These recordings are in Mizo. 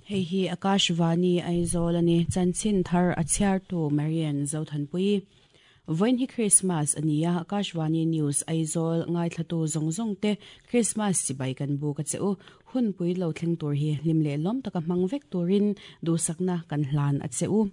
Hei hi Akashvani Aizawl a ni. Chanchin thar a chhiartu Marian Zothanpui. Vawiin hi Krismas a ni a, Akashvani News Aizawl ngaithlatu zawng zawng te Krismas chibai kan buk a che u. Hunpui lo thleng tur hi hlim leh lawm taka hmang vek turin duhsakna kan hlan a che u.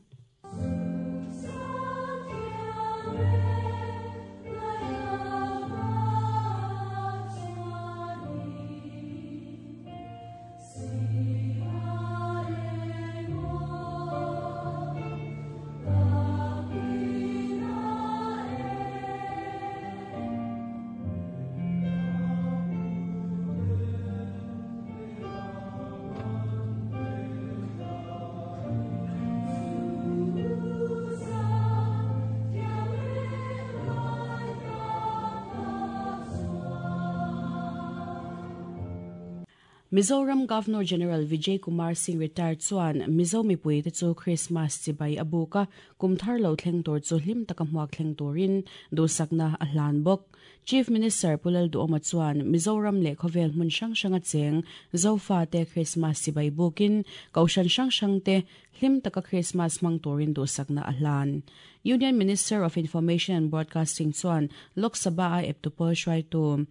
Mizoram Governor General Vijay Kumar Singh retired chuan Mizo mipuite chu Krismas chibai a buk a, kum thar lo thleng tur chu hlim taka hmuak thleng turin duhsakna a hlan bawk. Chief Minister Pu Lalduhawma chuan Mizoram leh khawvel hmun hrang hranga cheng Zofate Krismas chibai bukin Kohhran hrang hrangte hlim taka Krismas hmang turin duhsakna a hlan. Union Minister of Information and Broadcasting chuan Lok Sabha-a eptu pawl hruaitu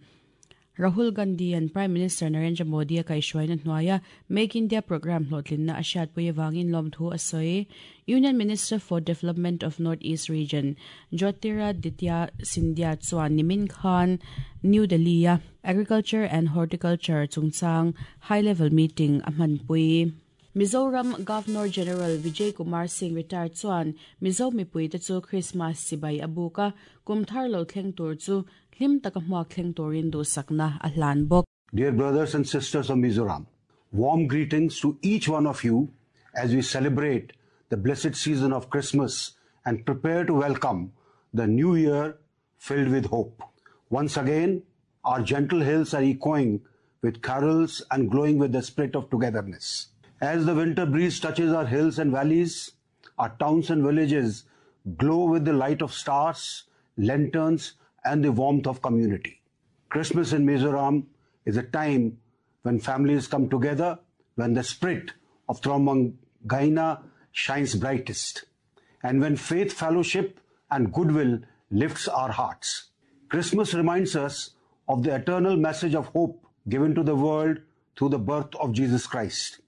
Rahul Gandhi-a'n Prime Minister Narendra Modi-a kaihhruaina hnuaia Make India Programme hlawhtlinna a hriatpui avangin lawmthu a sawi. Union Minister for Development of North East Region, Jyotiraditya Scindia chuan nimin khan New Delhi-a Agriculture and Horticulture chungchang High Level Meeting a hmanpui. Mizoram Governor General Vijay Kumar Singh retired chuan Mizo mipuite chu Krismas chibai a buk a, kum thar lo thleng tur chu hlim taka hmuak thleng turin duhsakna a hlan bawk. Dear brothers and sisters of Mizoram, warm greetings to each one of you as we celebrate the blessed season of Christmas and prepare to welcome the new year filled with hope. Once again, our gentle hills are echoing with carols and glowing with the spirit of togetherness. As the winter breeze touches our hills and valleys, our towns and villages glow with the light of stars, lanterns, and the warmth of community. Christmas in Mizoram is a time when families come together, when the spirit of Gaina shines brightest, and when faith, fellowship, and goodwill lifts our hearts. Christmas reminds us of the eternal message of hope given to the world through the birth of Jesus Christ.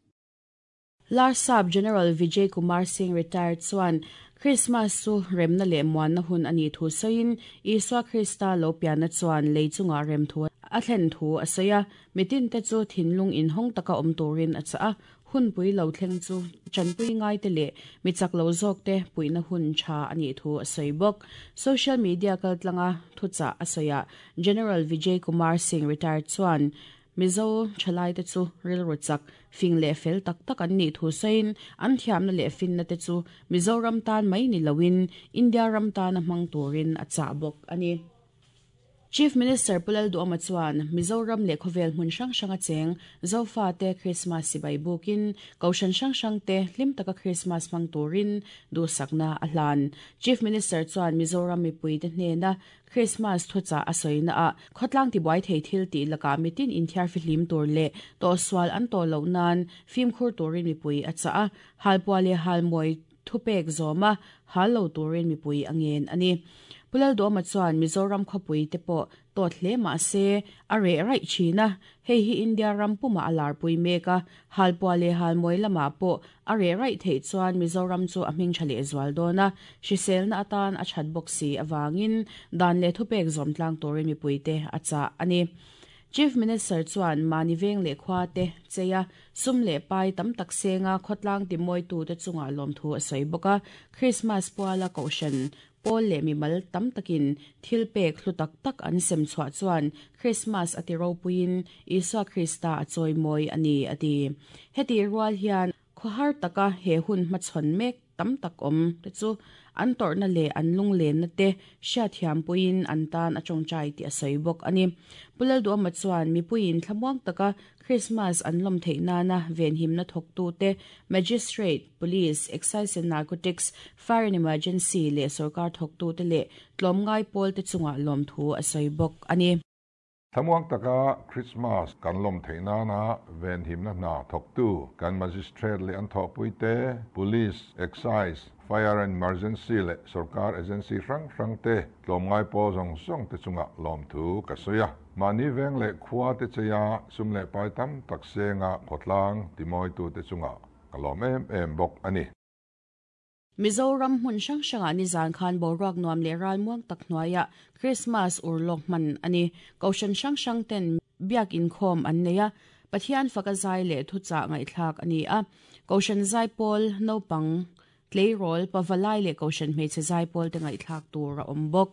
Larsap General Vijay Kumar Singh retired chuan Krismas chu remna leh muanna hun a nih thu sawiin Isua Krista lo pianna chuan lei chungah rem thu a thlen thu a sawi a, mitinte chu thinlung inhawng taka awm turin a chah a, hunpui lo thleng chu tanpui ngaite leh mi chak lo zawkte puihna hun tha a nih thu a sawi bawk. Social media kaltlanga thuchah a sawiah General Vijay Kumar Singh retired chuan Mizo thalaite chu rilru chak, fing leh fel tak tak an nih thu sawiin an thiamna leh finna te chu Mizoram tan mai ni loin India ram tana hmang turin a chah bawk a ni. Chief Minister Pu Lalduhawma chuan Mizoram leh khawvel hmun hrang hranga cheng Zofate Krismas sipai bukin Kohhran hrang hrangte hlim taka Krismas hmang turin duhsakna a hlan. Chief Minister chuan Mizoram mipuite hnena Krismas thuchah a sawina ah khawtlang tibuai thei thil tih lakah mitin inthiar fihlim tur leh tawhsual an tawh loh nan fimkhur turin mipui a chah a, halpuah leh halmawi thupek zawm a, hal lo turin mipui a ngen a ni. Pu Lalduhawma chuan Mizoram khawpui te pawh tawt hle mah se a reh raih thin a, hei hi India ram pumah a larpui mek a, halpuah leh halmawi lamah pawh a reh raih theih chuan Mizoram chu a hming tha leh zual dawn a, hriselna atan a that bawk si avangin dan leh thupek zawm tlang turin mipuite a chah a ni. Chief Minister chuan mahni veng leh khua te chei a, sum leh pai tam tak senga khawtlang timawitute chungah lawmthu a sawi bawk a, Krismas puala Kohhran Pawl leh mimal tam takin thil pek hlu tak tak an sem chhuah chuan Krismas a ti ropuiin Isua Krista a chawimawi a ni, a ti. Heti rual hian khawhar taka he hun hmachhawn mek tam tak awm te chu an tawrhna leh an lunglenna te hriatthiam puiin an tan a tawngtai tih a sawi bawk a ni. Pu Lalduhawma chuan mipuiin thlamuang taka Krismas an lawm theih nana venhimna thawktute, Magistrate, Police, Excise and Narcotics, Fire and Emergency leh sorkar thawktute leh tlawmngai pawlte chungah lawmthu a sawi bawk a ni. Thlamuang taka Krismas kan lawm theih nana venhimna hna thawktu kan Magistrate leh an thawhpuite, Police, Excise, Fire and Emergency leh sawrkar agency hrang hrangte tlawmngai pawl zawng zawngte chungah lawmthu ka sawi a. Mahni veng leh khua te cheia sum leh pai tam tak senga khawtlang timawitute chungah ka lawm em em bawk a ni. Mizoram hmun hrang hrangah nizan khan boruak nuam leh ralmuang tak hnuaiah Krismas urlawk hman a ni. Kohhran hrang hrang ten biak inkhawm an nei a, Pathian faka zai leh thuchah ngaihthlak a ni a. Kohhran zaipawl, naupang, tleirawl, pavalai leh kohhran hmeichhe zaipawl te ngaihthlak tur a awm bawk.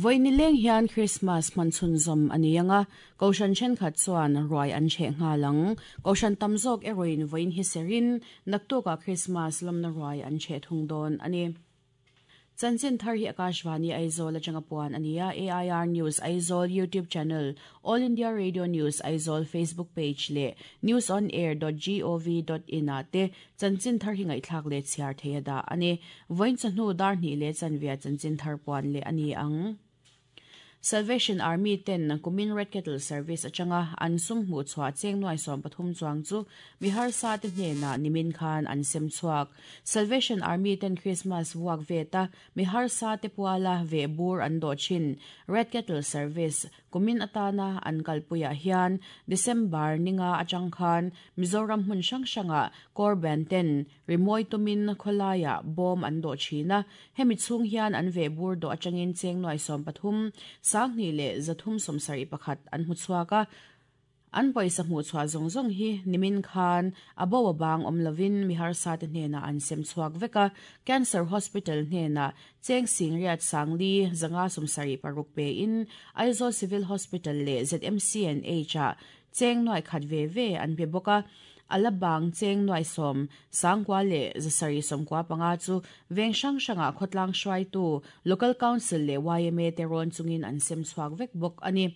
Vawi nileng hian Krismas hman chhunzawm a ni ang a, Kohhran thenkhat chuan ruai an chheh nghal ang. Kohhran tam zawk erawhin vawiin hi serin naktukah Krismas lawmna ruai an chheh thung dawn a ni. Chanchin thar hi Akashvani Aizawl atanga puan a ni a, AIR News Aizawl YouTube channel, All India Radio News Aizawl Facebook page leh newsonair.gov.in ah te chanchin thar hi ngaihthlak leh chhiar thei a dah a ni. Vawiin chawhnu dar hnih leh chanvia chanchin thar puan leh a ni ang. Salvation Army ten kumin Red Kettle Service atanga an sum hmuh chhuah cheng nuai 13 chuang chu mi harsa te hnenah nimin khan an sem chhuak. Salvation Army ten Christmas vuak veta mi harsa te puala veh bur an dawh thin. Red Kettle Service kumin atana an kalpuiah hian December ninga atang khan Mizoram hmun hrang hrangah Corban ten Rimawi tumin khawlaiah bawm an dawh thin a, hemi chhung hian an veh bur dawh atangin cheng nuai 13, 2 leh 371 an hmu chhuak a. An pawisa hmuh chhuah zawng zawng hi nimin khan a bo a bang awm lovin mi harsa te hnenah an sem chhuak vek a, Cancer Hospital hnenah cheng singriat sangli zanga 76 pein Aizawl Civil Hospital leh ZMCNH ah cheng nuai khat ve ve an pe bawk a. A la bang cheng nuai 10, 9 leh 795 chu veng hrang hrangah khawtlang hruaitu Local Council leh YMA te rawn chungin an sem chhuak vek bawk a ni.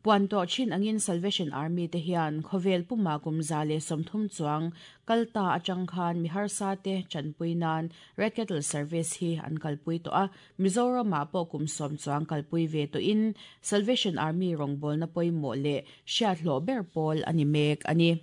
Puan tawh thin angin Salvation Army te hian khawvel puma kum 130 chuang kalta atang khan mi harsa te chanpui nan Red Kettle Service hi an kalpui tawh a, Mizoramah pawh kum 10 chuang kalpui ve tawhin Salvation Army rawngbawlna pawimawh leh hriat hlawh ber pawl a ni mek a ni.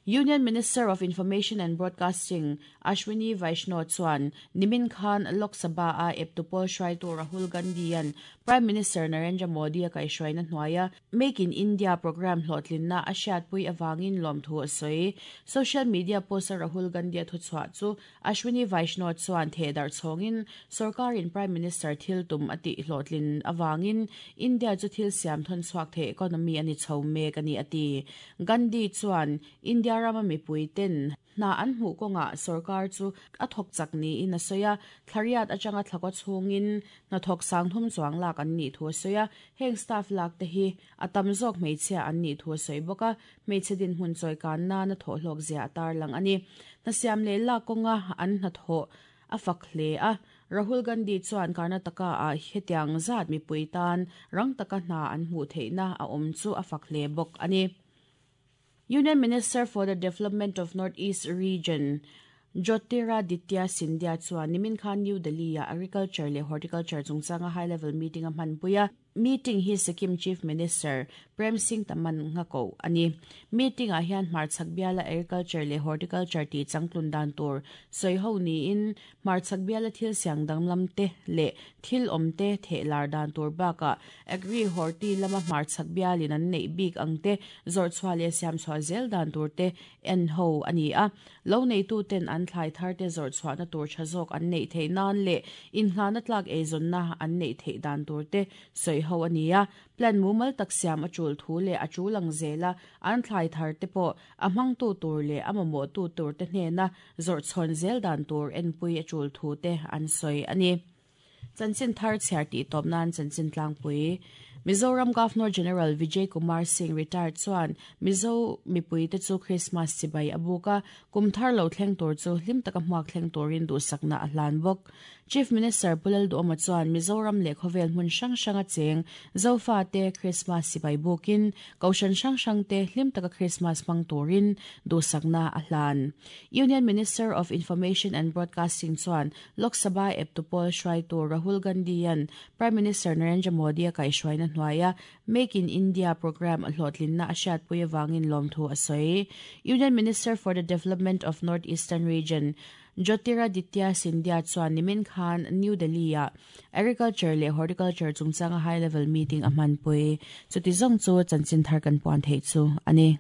Union Minister of Information and Broadcasting Ashwini Vaishnaw chuan nimin khan Lok Sabha a eptupol hruaitu Rahul Gandhi an Prime Minister Narendra Modi a kaihhruaina hnuaia Make in India program hlawhtlinna a hriatpui awangin lawmthu a sawi. Social media post a Rahul Gandhi a thuchhuah chu Ashwini Vaishnaw chuan thehdar chhawngin sarkarin Prime Minister thil tum a tih hlawhtlin awangin India chu thil siam thawn chhuak thei economy a ni chho mek a ni a ti. Gandhi chuan India rama mipui ten hna an hmuh kawngah sarkar chu a thawk chak niin a sawi a, thlariat atanga thlakaw chhungin hna thawk sang thum chuang lak an nih thu a sawi a, heng staff lak te hi a tam zawk hmeichhia an nih thu a sawi bawk a, hmeichhe din hmun chawi kan nana thawh hlawk zia a tar lang a ni. Hna siam leh lak kawnga an hna thawh a fak hle a, Rahul Gandhi chuan Karnataka ah hetiang zat mipui tan rang taka hna an hmuh theihna a awm chu a fak hle bawk a ni. Union Minister for the Development of North East Region Jyotiraditya Scindia chuan nimin khan New Delhi a Agriculture leh Horticulture chungchanga high level meeting a hmanpui a. Meeting hi Sikkim Chief Minister Prem Singh Tamang nga ko a ni. Meeting ah hian hmarchhak biala Agriculture leh Horticulture tih changtlun dan tur sawi ho niin hmarchhak biala thil siang danglam te leh thil awm te theh lar dan tur bakah Agri Horti lama hmarchhak bialin an neih bik ang te zawrh chhuah leh siam chhuah zel dan tur te en ho a ni a. Lo neitu ten an thlai thar te zawrh chhuahna tur tha zawk an neih theih nan leh inhlana tlak eizawnna an neih theih dan tur te sawi ho a ni a, plan mumal tak siam a tul thu leh a tul ang zela an thlai thar te pawh a hmangtu tur leh a mamawhtu tur te hnena zawrh chhawn zel dan tur enpui a tul thu te an sawi a ni. Chanchin thar chhiar tih tawp nan chanchin tlangpui Mizoram Governor General Vijay Kumar Singh retired chuan Mizo mipui te chu Christmas chibai a buk a, kum thar lo thleng tur chu hlim taka hmuak thleng turin duhsakna a hlan bawk. Chief Minister Pu Lalduhawma chuan Mizoram leh khawvel hmun hrang hranga cheng Zofa te Christmas chibai bukin Kohhran hrang hrang te hlim taka Christmas hmang turin duhsakna a hlan. Union Minister of Information and Broadcasting chuan Lok Sabha eptu pawl hruaitu Rahul Gandhi-a'n Prime Minister Narendra Modi-a kaihhruaina hnuaia Make in India programme a hlawhtlinna a hriatpui avangin lawmthu a sawi. Union Minister for the Development of North Eastern Region Jyotiraditya Scindia chuan nimin khan New Delhi-ah Agriculture leh Horticulture chungchanga high level meeting a hmanpui. Chuti zawng chu chanchin thar kan puan theih chu a ni.